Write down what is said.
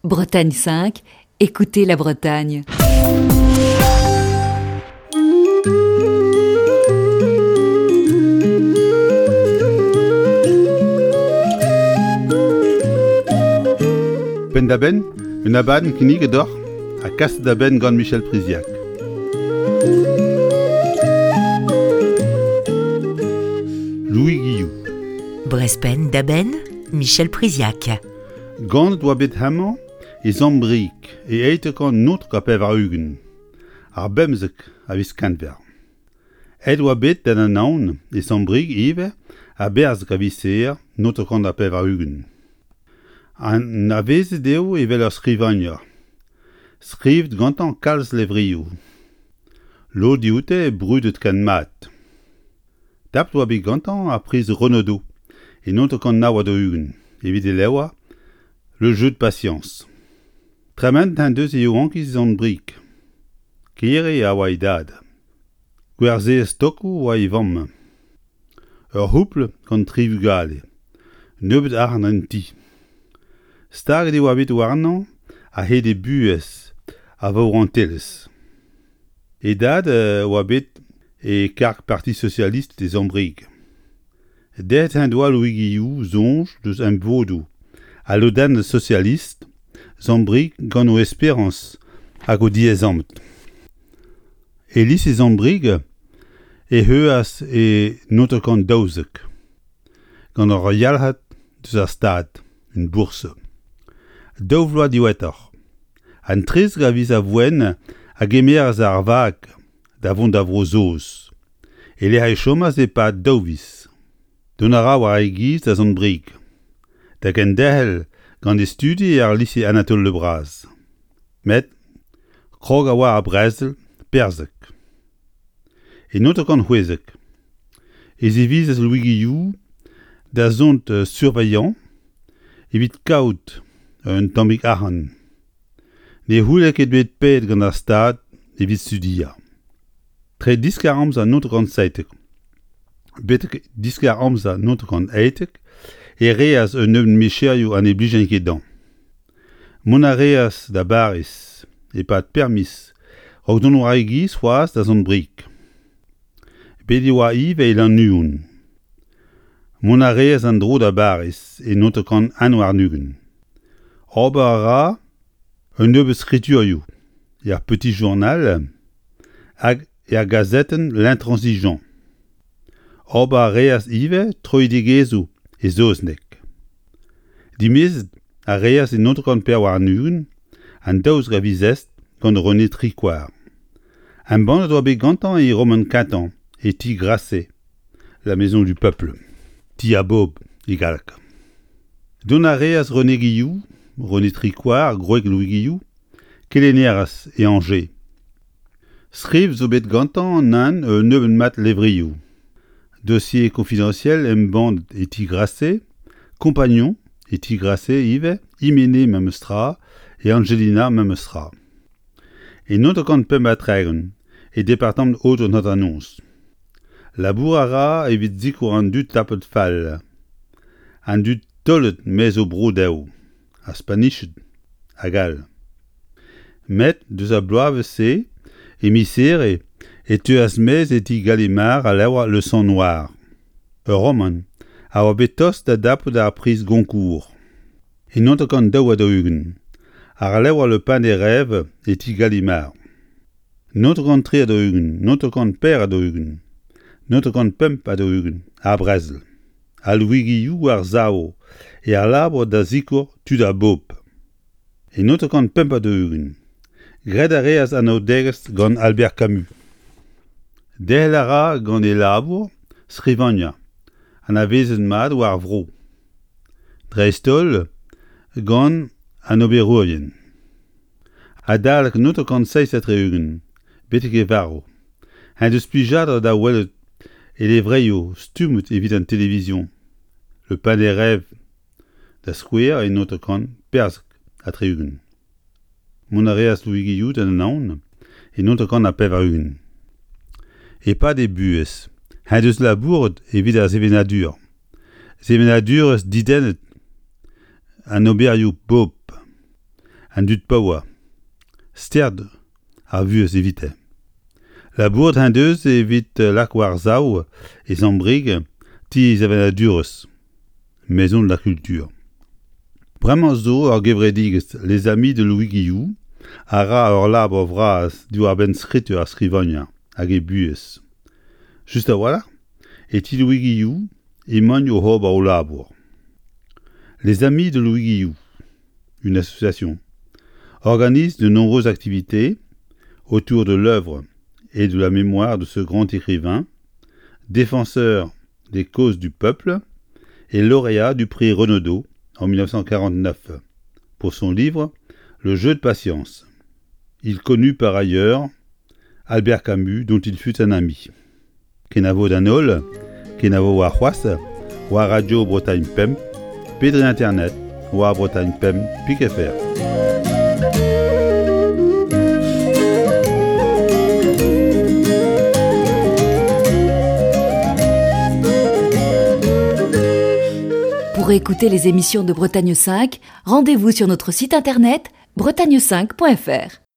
Bretagne 5, écoutez la Bretagne. Penn-da-benn, un abadenn kinniget deoc'h ha kaset da benn gant Michel Priziac. Louis Guillou. Brest penn-da-benn, Michel Priziac. Ganet oa bet hemañ e Sant-Brieg e 1989, ar bemzek a viz Kenver. Aet oa bet d'an Anaon e Sant-Brieg ivez a-berzh a viz Here 1980. Anavezet eo evel ur skrivagner, skrivet gantañ kalz levrioù, lod dioute brudet ken mat. Tapet oa bet gantañ ar priz Renaudot e 1949 evit e levr Le jeu de patience. Tremenet en deus e yaouankiz Sant-Brieg. Kere a oa e dad. Gwerzherez tokoù oa e vamm. Ur c'houpl gant tri vugale. Nebeut arc'hant en ti. Staget e oa bet warnañ a-hed e buhez a vaourantelezh. E dad a oa bet e karg Parti Socialiste e Sant-Brieg. Dezhañ en doa Louis Guillou soñj deus emvodoù ha lodennoù sosialist Sant-Brieg gant o esperañs hag o diaezamant. E lise Sant-Brieg e heuas e 1912 gant ur yalc'had deus ar Stad, un bourse. Daou vloaz diwezhatoc'h, An 13 a viz Avoen a gemeras ar vag da vont da Vro-Saoz, e-lec'h e chomas e-pad daou viz. Dont a ra war e giz da Sant-Brieg, da genderc'hel gant e studi er lise Anatole Le Bras. Met krog a oa ar brezel perzhek. E 1916 e zivizas Louis Guillou da zont surveillant evit kaout un tammig arc'hant. Ne c'houlle ket bet paeet gant ar Stad evit studiañ. Tre diskar-amzer 1917 betek diskar-amzer 1918 e reas un nebeud micherioù ha ne blijent ket dezhañ. Mont a reas da Bariz e-pad permiz a-raok dont war e giz c'hoazh da Sant-Brieg. Bet e oa ivez e Lannuon. Mont a reas en-dro da Bariz e 1921. Ober a ra un nebeud skriturioù er Petit Journal hag er gazetenn L'Intransigeant. Ober a reas ivez troidigezhioù e saozneg. Dimezet a reas e 1924 an 12 a viz Est gant René Tricoire. Embannet oa bet gantañ e romant kentañ e ti Grasset, La Maison du Peuple, Ti ar Bobl e galleg. Dont a reas René Guillou, René Tricoire, gwreg Louis Guillou, kelennerez e Angers. Skriv zo bet gantañ nann un nebeud mat levrioù. Dossier confidentiel embannet e ti Grasset, Compagnon e ti Grasset ivez, Hyménée memes tra, e Angelina memes tra. E 1935 e departamant Aodoù-an Hanternoz. Labour a ra evit sikour an dud tapet fall, an dud taolet maez o bro dezho. ar Spaniched hag all. Met deus ar bloavezh-se, e miz Here, e teuas maez e ti Gallimard al levr Le Sang Noir, ur romant a oa bet tost da dapout ar priz Goncourt. E 1942, ar levr Le Pain des Rêves e ti Gallimard. 1943, 1944, 1945, ar brezel. Al Louis Guillou war-sav er labour da sikour tud ar bobl. E 1945, graet a reas anaoudegezh gant Albert Camus. Derc'hel a ra gant e labour skrivagner anavezet mat war ar vro, dreist-holl gant an oberourien. Adalek 1967 betek e varv en deus plijadur da welet e levrioù stummet evit an televizion Le Pain des rêves da skouer e 1974. Mont a reas Louis Guillou d'an Anaon e 1980. E-pad e buhez en deus labouret evit ar sevenadur. Sevenadurezh didennet an oberioù pobl. An dud paour, sterd ar vuhez evite. Labouret en deus evit lak war-sav e Sant-Brieg ti sevenadurezh, Maison de la Culture. Bremañ zo ur gevredigezh Les Amis de Louis Guilloux a ra ur labour vras diwar-benn skritur ar skrivagner hag e buhez. Just a-walc'h e ti Louis Guilloux emaint oc'h ober o labour. Les Amis de Louis Guilloux, une association, organise de nombreuses activités autour de l'œuvre et de la mémoire de ce grand écrivain, défenseur des causes du peuple et lauréat du prix Renaudot en 1949 pour son livre Le jeu de patience. Il connut par ailleurs Albert Camus dont il fut un ami. Kenavo d'an holl, kenavo warc'hoazh, war Radio Bretagne Pemp, pe dre internet war Bretagne Pemp pik fr. Pour écouter les émissions de Bretagne 5, rendez-vous sur notre site internet bretagne5.fr.